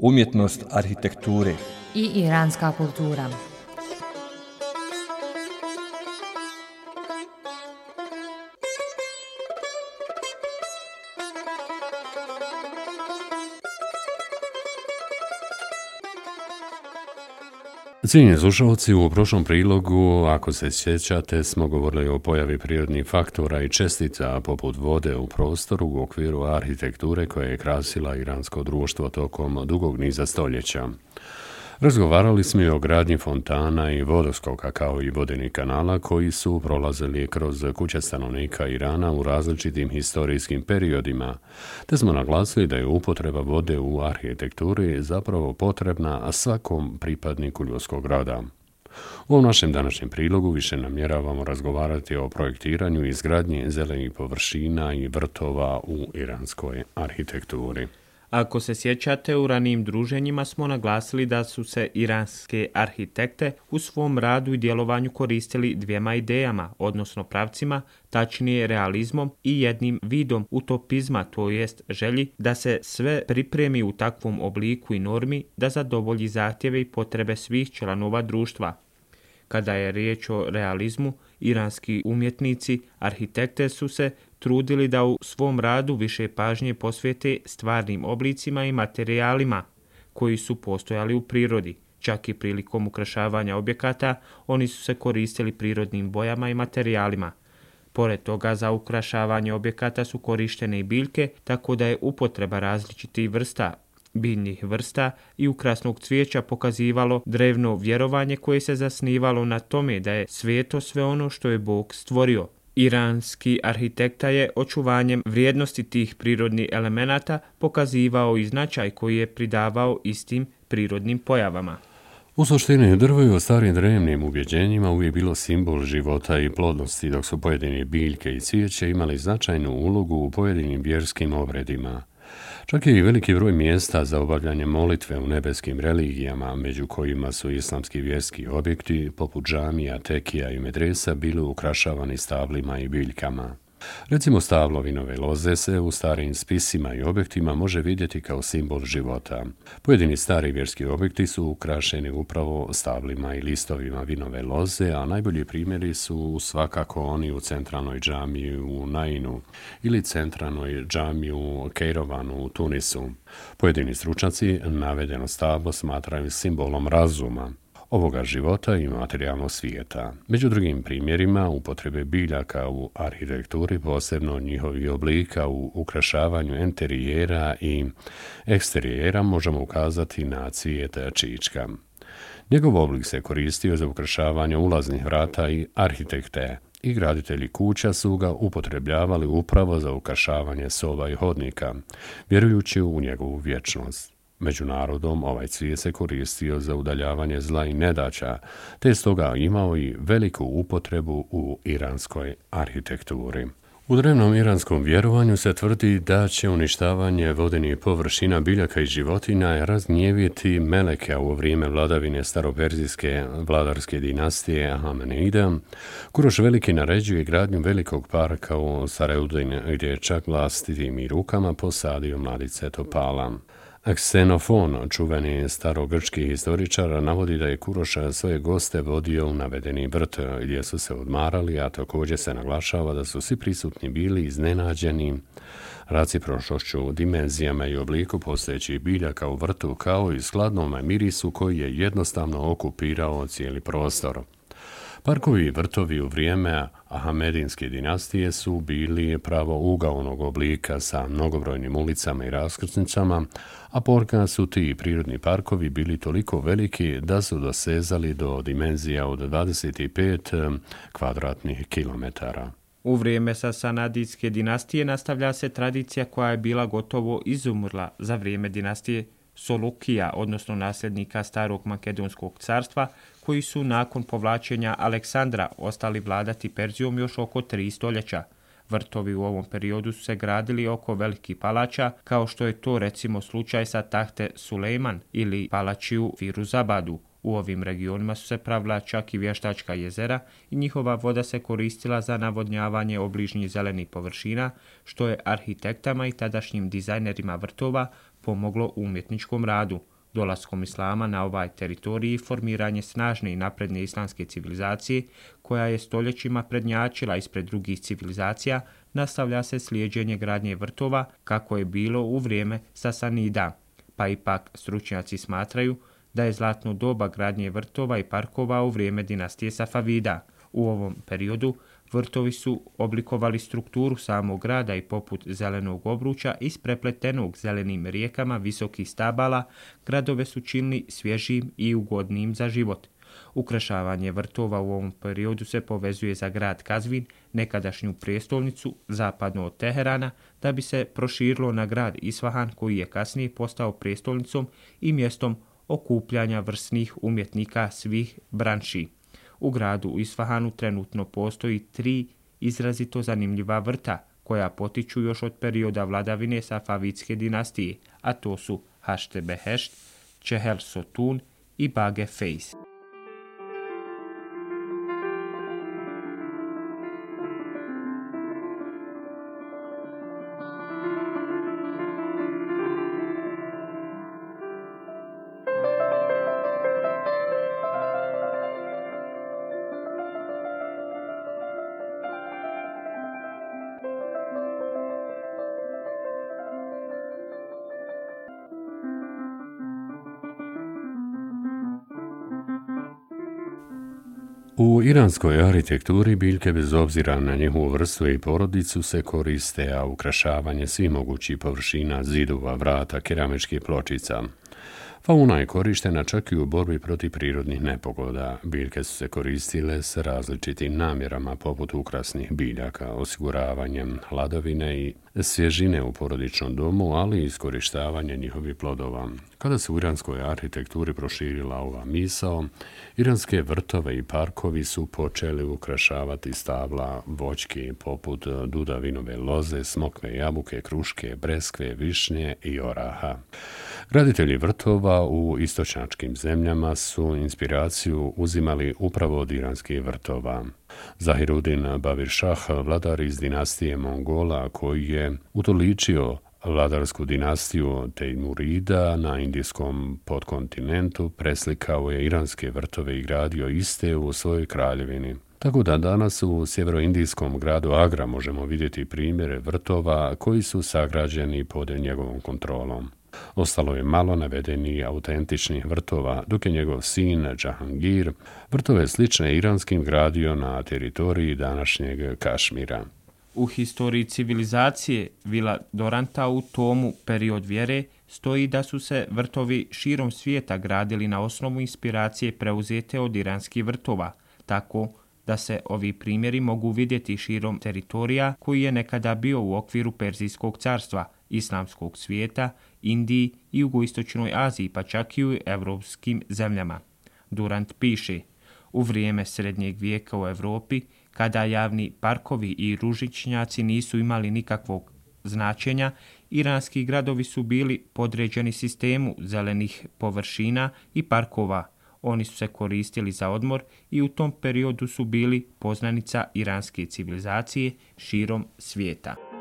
umjetnost arhitekture i iranska kultura. Cijenjeni slušalci, u prošlom prilogu, ako se sjećate, smo govorili o pojavi prirodnih faktora i čestica poput vode u prostoru u okviru arhitekture koja je krasila iransko društvo tokom dugog niza stoljeća. Razgovarali smo i o gradnji fontana i vodoskoka kao i vodenih kanala koji su prolazili kroz kuće stanovnika Irana u različitim historijskim periodima, te smo naglasili da je upotreba vode u arhitekturi zapravo potrebna svakom pripadniku ljudskog roda. U ovom našem današnjem prilogu više namjeravamo razgovarati o projektiranju i izgradnji zelenih površina i vrtova u iranskoj arhitekturi. Ako se sjećate, u ranijim druženjima smo naglasili da su se iranske arhitekte u svom radu i djelovanju koristili dvijema idejama, odnosno pravcima, tačnije realizmom i jednim vidom utopizma, to jest želji da se sve pripremi u takvom obliku i normi da zadovolji zahtjeve i potrebe svih članova društva. Kada je riječ o realizmu, iranski umjetnici, arhitekte su se trudili da u svom radu više pažnje posvete stvarnim oblicima i materijalima koji su postojali u prirodi. Čak i prilikom ukrašavanja objekata oni su se koristili prirodnim bojama i materijalima. Pored toga za ukrašavanje objekata su korištene i biljke, tako da je upotreba različitih vrsta biljnih vrsta i ukrasnog cvijeća pokazivalo drevno vjerovanje koje se zasnivalo na tome da je sveto sve ono što je Bog stvorio. Iranski arhitekta je očuvanjem vrijednosti tih prirodnih elemenata pokazivao i značaj koji je pridavao istim prirodnim pojavama. U suštini, drvo je u starim drevnim ubjeđenjima uvijek bilo simbol života i plodnosti, dok su pojedine biljke i cvijeće imali značajnu ulogu u pojedinim vjerskim obredima. Čak je i veliki broj mjesta za obavljanje molitve u nebeskim religijama, među kojima su islamski vjerski objekti, poput džamija, tekija i medresa, bili ukrašavani stablima i biljkama. Recimo stablo vinove loze se u starim spisima i objektima može vidjeti kao simbol života. Pojedini stari vjerski objekti su ukrašeni upravo stablima i listovima vinove loze, a najbolji primjeri su svakako oni u centralnoj džamiji u Nainu ili centralnoj džamiji u Kejrovanu u Tunisu. Pojedini stručnjaci navedeno stablo smatraju simbolom razuma, ovoga života i materijalnog svijeta. Među drugim primjerima upotrebe biljaka u arhitekturi, posebno njihovih oblika u ukrašavanju enterijera i eksterijera, možemo ukazati na cvijet čička. Njegov oblik se koristio za ukrašavanje ulaznih vrata i arhitekte i graditelji kuća su ga upotrebljavali upravo za ukrašavanje soba i hodnika, vjerujući u njegovu vječnost. Među narodom ovaj cvijet se koristio za udaljavanje zla i nedaća, te stoga imao i veliku upotrebu u iranskoj arhitekturi. U drevnom iranskom vjerovanju se tvrdi da će uništavanje vodenih površina biljaka i životinja razgnjeviti meleke u vrijeme vladavine staroperzijske vladarske dinastije Ahamenida. Kuroš Veliki naređuje gradnju velikog parka u Saraudin, gdje je čak vlastitim i rukama posadio mladice topala. Ksenofon, čuveni starogrčki historičar, navodi da je Kuroš svoje goste vodio u navedeni vrt gdje su se odmarali, a također se naglašava da su svi prisutni bili iznenađeni recipročnošću, dimenzijama i obliku postojećih biljaka u vrtu kao i skladnom mirisu koji je jednostavno okupirao cijeli prostor. Parkovi i vrtovi u vrijeme Ahmedinske dinastije su bili pravougaonog oblika sa mnogobrojnim ulicama i raskrsnicama, a ponekad su ti prirodni parkovi bili toliko veliki da su dosezali do dimenzija od 25 kvadratnih kilometara. U vrijeme Sasanidske dinastije nastavlja se tradicija koja je bila gotovo izumrla za vrijeme dinastije Solukija, odnosno nasljednika starog makedonskog carstva, koji su nakon povlačenja Aleksandra ostali vladati Perzijom još oko 3 stoljeća. Vrtovi u ovom periodu su se gradili oko velikih palača, kao što je to recimo slučaj sa Tahte Sulejman ili palačiju Firuzabadu. U ovim regionima su se pravila čak i vještačka jezera i njihova voda se koristila za navodnjavanje obližnjih zelenih površina, što je arhitektama i tadašnjim dizajnerima vrtova pomoglo u umjetničkom radu. Dolaskom islama na ovaj teritorij formiranje snažne i napredne islamske civilizacije, koja je stoljećima prednjačila ispred drugih civilizacija, nastavlja se slijeđenje gradnje vrtova kako je bilo u vrijeme Sasanida, pa ipak stručnjaci smatraju da je zlatno doba gradnje vrtova i parkova u vrijeme dinastije Safavida. U ovom periodu vrtovi su oblikovali strukturu samog grada i poput zelenog obruča isprepletenog zelenim rijekama visokih stabala, gradove su činili svježim i ugodnim za život. Ukrašavanje vrtova u ovom periodu se povezuje za grad Kazvin, nekadašnju prijestolnicu zapadno od Teherana, da bi se proširilo na grad Isfahan, koji je kasnije postao prijestolnicom i mjestom okupljanja vrsnih umjetnika svih branši. U gradu Isfahanu trenutno postoji 3 izrazito zanimljiva vrta, koja potiču još od perioda vladavine Safavidske dinastije, a to su Hašte Behešt, Čehel Sotun i Bage Fejs. U iranskoj arhitekturi biljke bez obzira na njihovu vrstu i porodicu se koriste, a ukrašavanje svih mogućih površina, zidova, vrata, keramičkih pločica. Fauna je korištena čak i u borbi protiv prirodnih nepogoda. Biljke su se koristile s različitim namjerama poput ukrasnih biljaka, osiguravanjem hladovine i svježine u porodičnom domu, ali i iskorištavanje njihovih plodova. Kada se u iranskoj arhitekturi proširila ova misao, iranske vrtove i parkovi su počeli ukrašavati stabla voćke poput dudavinove loze, smokve jabuke, kruške, breskve, višnje i oraha. Graditelji vrtova u istočnjačkim zemljama su inspiraciju uzimali upravo od iranskih vrtova. Zahirudin Baviršah, vladar iz dinastije Mongola, koji je utoličio vladarsku dinastiju Tejmurida na indijskom podkontinentu, preslikao je iranske vrtove i gradio iste u svojoj kraljevini. Tako da danas u sjeveroindijskom gradu Agra možemo vidjeti primjere vrtova koji su sagrađeni pod njegovom kontrolom. Ostalo je malo navedeni autentičnih vrtova, dok je njegov sin Džahangir vrtove slične iranskim gradio na teritoriji današnjeg Kašmira. U historiji civilizacije Vila Doranta u tomu Period vjere stoji da su se vrtovi širom svijeta gradili na osnovu inspiracije preuzete od iranskih vrtova, tako da se ovi primjeri mogu vidjeti širom teritorija koji je nekada bio u okviru Perzijskog carstva, islamskog svijeta, Indiji i jugoistočnoj Aziji, pa čak i u evropskim zemljama. Durant piše: u vrijeme srednjeg vijeka u Europi, kada javni parkovi i ružičnjaci nisu imali nikakvog značenja, iranski gradovi su bili podređeni sistemu zelenih površina i parkova. Oni su se koristili za odmor i u tom periodu su bili poznanica iranske civilizacije širom svijeta.